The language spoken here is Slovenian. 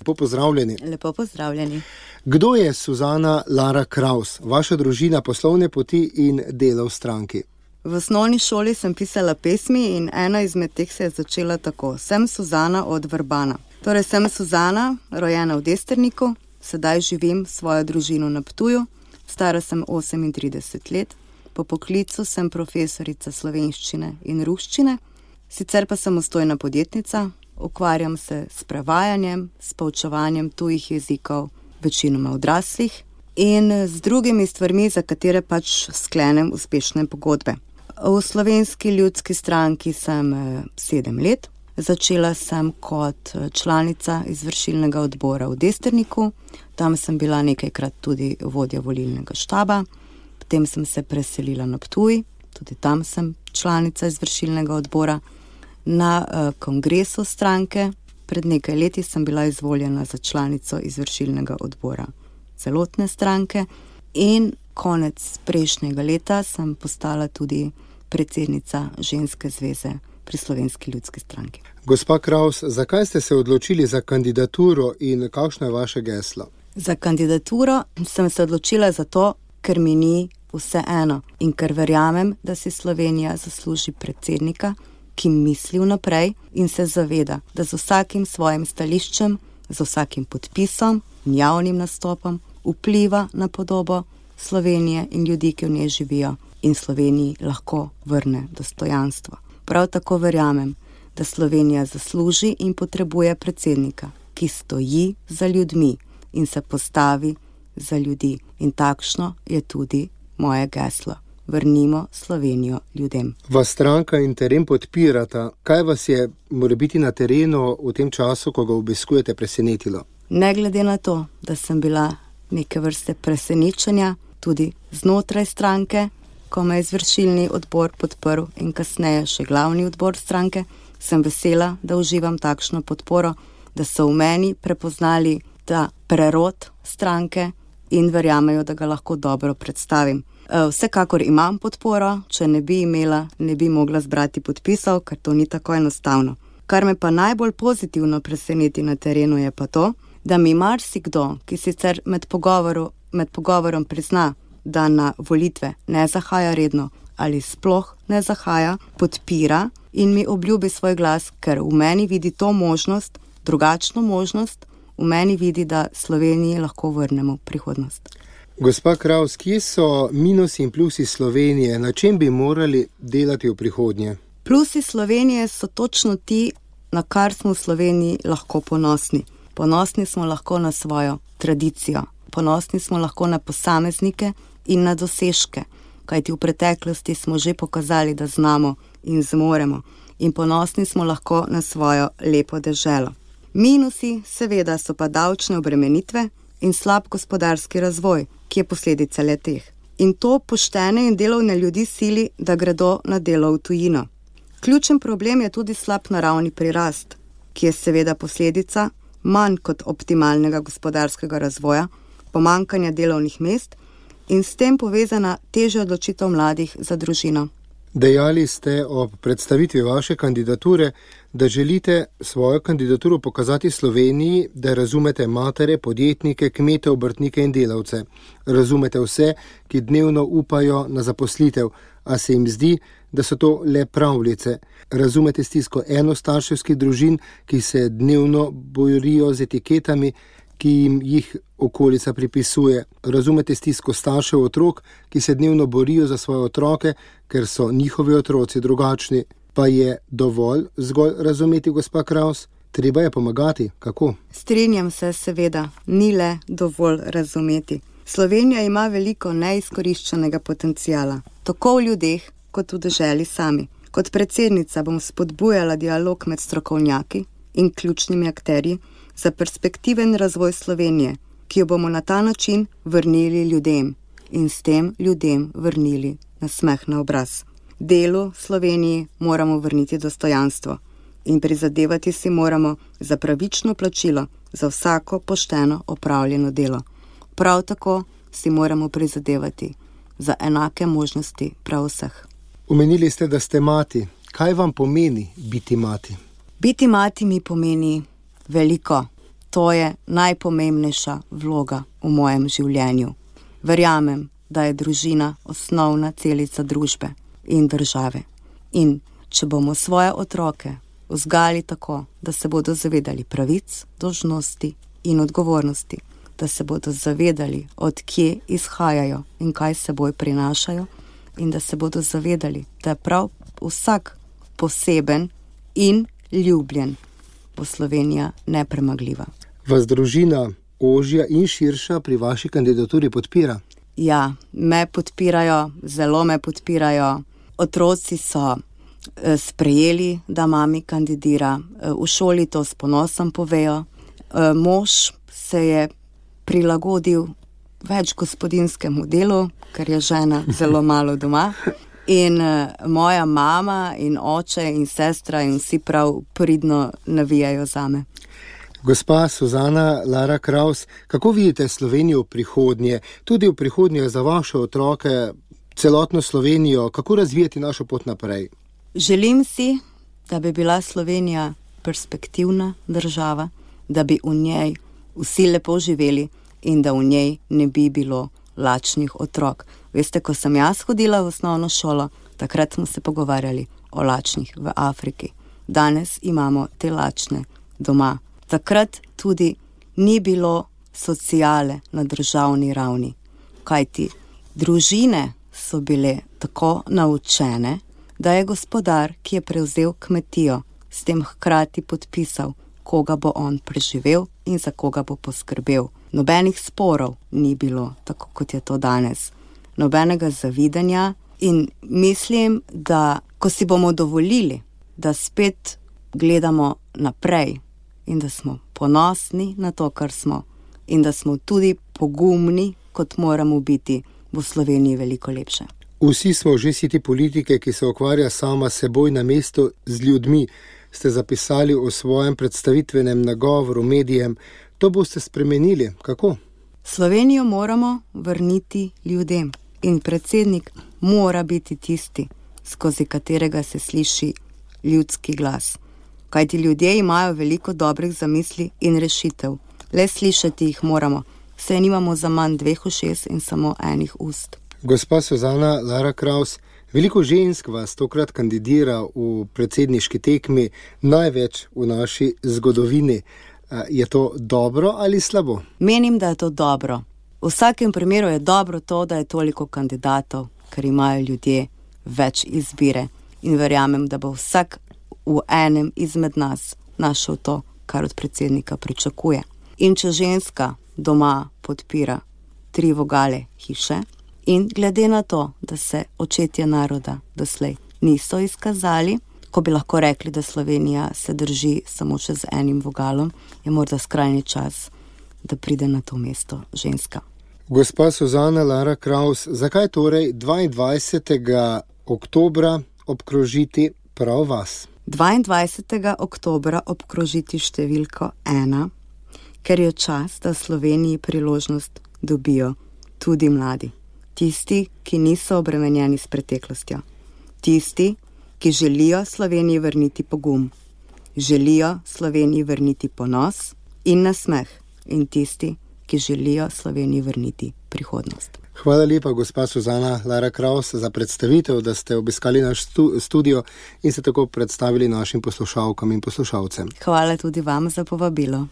lepo pozdravljeni. Lepo pozdravljeni. Kdo je Suzana Lara Kraus, vaša družina, poslovne poti in delo v stranki? V osnovni šoli sem pisala pesmi in ena izmed teh se je začela tako. Sem Suzana od Vrbana. Torej sem Suzana, rojena v Desterniku, sedaj živim svojo družino na Ptuju, stara sem 38 let, po poklicu sem profesorica slovenščine in ruščine, sicer pa sem samostojna podjetnica, ukvarjam se s prevajanjem, s poučevanjem tujih jezikov, večinoma odraslih in z drugimi stvarmi, za katere pač sklenem uspešne pogodbe. V Slovenski ljudski stranki sem 7 let. Začela sem kot članica izvršilnega odbora v Desterniku, tam sem bila nekajkrat tudi vodja volilnega štaba, potem sem se preselila na Ptuj, tudi tam sem članica izvršilnega odbora. Na kongresu stranke pred nekaj leti sem bila izvoljena za članico izvršilnega odbora celotne stranke in konec prejšnjega leta sem postala tudi predsednica ženske zveze pri Slovenski ljudski stranki. Gospa Kraus, zakaj ste se odločili za kandidaturo in kakšno je vaše geslo? Za kandidaturo sem se odločila zato, ker mi ni vseeno in ker verjamem, da si Slovenija zasluži predsednika, ki misli vnaprej in se zaveda, da z vsakim svojim stališčem, z vsakim podpisom in javnim nastopom vpliva na podobo Slovenije in ljudi, ki v njej živijo in Sloveniji lahko vrne dostojanstvo. Prav tako verjamem, da Slovenija zasluži in potrebuje predsednika, ki stoji za ljudmi in se postavi za ljudi. In takšno je tudi moje geslo. Vrnimo Slovenijo ljudem. Vas stranka in teren podpirata. Kaj vas je morebiti na terenu v tem času, ko ga obiskujete, presenetilo? Ne glede na to, da sem bila neke vrste presenečenja tudi znotraj stranke, ko me je izvršilni odbor podprl in kasneje še glavni odbor stranke, sem vesela, da uživam takšno podporo, da so v meni prepoznali ta prerod stranke in verjamejo, da ga lahko dobro predstavim. Vsekakor imam podporo, če ne bi imela, ne bi mogla zbrati podpisov, ker to ni tako enostavno. Kar me pa najbolj pozitivno preseneti na terenu je pa to, da mi marsikdo, ki sicer med pogovorom prizna, da na volitve ne zahaja redno ali sploh ne zahaja, podpira in mi obljubi svoj glas, ker v meni vidi to možnost, drugačno možnost, v meni vidi, da Sloveniji lahko vrnemo prihodnost. Gospa Kraus, kje so minusi in plusi Slovenije? Na čem bi morali delati v prihodnje? Plusi Slovenije so točno ti, na kar smo v Sloveniji lahko ponosni. Ponosni smo lahko na svojo tradicijo. Ponosni smo lahko na posameznike in na dosežke, kajti v preteklosti smo že pokazali, da znamo in zmoremo. In ponosni smo lahko na svojo lepo deželo. Minusi seveda so pa davčne obremenitve in slab gospodarski razvoj, ki je posledica le-teh. In to poštene in delovne ljudi sili, da gredo na delo v tujino. Ključen problem je tudi slab naravni prirast, ki je seveda posledica manj kot optimalnega gospodarskega razvoja, pomanjkanja delovnih mest in s tem povezana težja odločitev mladih za družino. Dejali ste ob predstavitvi vaše kandidature, da želite svojo kandidaturo pokazati Sloveniji, da razumete matere, podjetnike, kmete, obrtnike in delavce. Razumete vse, ki dnevno upajo na zaposlitev, a se jim zdi, da so to le pravljice. Razumete stisko enostarševskih družin, ki se dnevno borijo z etiketami, ki jim jih okolica pripisuje. Razumete stisko staršev otrok, ki se dnevno borijo za svoje otroke, ker so njihovi otroci drugačni. Pa je dovolj zgolj razumeti, gospa Kraus? Treba je pomagati. Kako? Strinjam se, seveda, ni le dovolj razumeti. Slovenija ima veliko neizkoriščenega potenciala, tako v ljudeh, kot v deželi sami. Kot predsednica bom spodbujala dialog med strokovnjaki in ključnimi akterji za perspektiven razvoj Slovenije, ki jo bomo na ta način vrnili ljudem in s tem ljudem vrnili nasmeh na obraz. Delu Sloveniji moramo vrniti dostojanstvo in prizadevati si moramo za pravično plačilo za vsako pošteno opravljeno delo. Prav tako si moramo prizadevati za enake možnosti prav vseh. Omenili ste, da ste mati. Kaj vam pomeni biti mati? Biti mati mi pomeni veliko. to je najpomembnejša vloga v mojem življenju. Verjamem, da je družina osnovna celica družbe in države. In če bomo svoje otroke vzgajali tako, da se bodo zavedali pravic, dolžnosti in odgovornosti, da se bodo zavedali, od kje izhajajo in kaj seboj prinašajo, in da se bodo zavedali, da je prav vsak poseben in ljubljen, bo Slovenija nepremagljiva. Vas družina ožja in širša pri vaši kandidaturi podpira? Ja, me podpirajo, zelo me podpirajo. Otroci so sprejeli, da mami kandidira. V šoli to s ponosom povejo. Mož se je prilagodil več gospodinjskemu delu, ker je žena zelo malo doma. In moja mama in oče in sestra in vsi prav pridno navijajo zame. Gospa Suzana Lara Kraus, kako vidite Slovenijo v prihodnje, tudi v prihodnje za vaše otroke, celotno Slovenijo, kako razvijati našo pot naprej? Želim si, da bi bila Slovenija perspektivna država, da bi v njej vsi lepo živeli in da v njej ne bi bilo lačnih otrok. Veste, ko sem jaz hodila v osnovno šolo, takrat smo se pogovarjali o lačnih v Afriki. Danes imamo te lačne doma. Takrat tudi ni bilo sociale na državni ravni, kajti družine so bile tako naučene, da je gospodar, ki je prevzel kmetijo, s tem hkrati podpisal, koga bo on preživel in za koga bo poskrbel. Nobenih sporov ni bilo, tako kot je to danes. Nobenega zavidanja in mislim, da ko si bomo dovolili, da spet gledamo naprej in da smo ponosni na to, kar smo in da smo tudi pogumni, kot moramo biti, bo v Sloveniji veliko lepše. Vsi smo že siti politike, ki se ukvarja sama seboj na mestu z ljudmi, ste zapisali v svojem predstavitvenem nagovoru medijem. To boste spremenili. Kako? Slovenijo moramo vrniti ljudem in predsednik mora biti tisti, skozi katerega se sliši ljudski glas. Kajti ljudje imajo veliko dobrih zamisli in rešitev. Le slišati jih moramo, saj nimamo za manj 2 ušes in samo 1 ust. Gospa Suzana Lara Kraus, veliko žensk vas tokrat kandidira v predsedniški tekmi, največ v naši zgodovini. Je to dobro ali slabo? Menim, da je to dobro. V vsakem primeru je dobro to, da je toliko kandidatov, ker imajo ljudje več izbire in verjamem, da bo vsak v enem izmed nas našel to, kar od predsednika pričakuje. In če ženska doma podpira 3 vogale hiše in glede na to, da se očetje naroda doslej niso izkazali, ko bi lahko rekli, da Slovenija se drži samo še z 1 vogalom, je morda skrajni čas, da pride na to mesto ženska. Gospa Suzana Lara Kraus, zakaj torej 22. oktobra obkrožiti prav vas? 22. oktobra obkrožiti številko 1, ker je čas, da v Sloveniji priložnost dobijo tudi mladi. Tisti, ki niso obremenjeni s preteklostjo. Tisti, ki želijo Sloveniji vrniti pogum. Želijo Sloveniji vrniti ponos in nasmeh. In tisti, ki želijo Sloveniji vrniti prihodnost. Hvala lepa, gospa Suzana Lara Kraus, za predstavitev, da ste obiskali naš studio in se tako predstavili našim poslušalkam in poslušalcem. Hvala tudi vam za povabilo.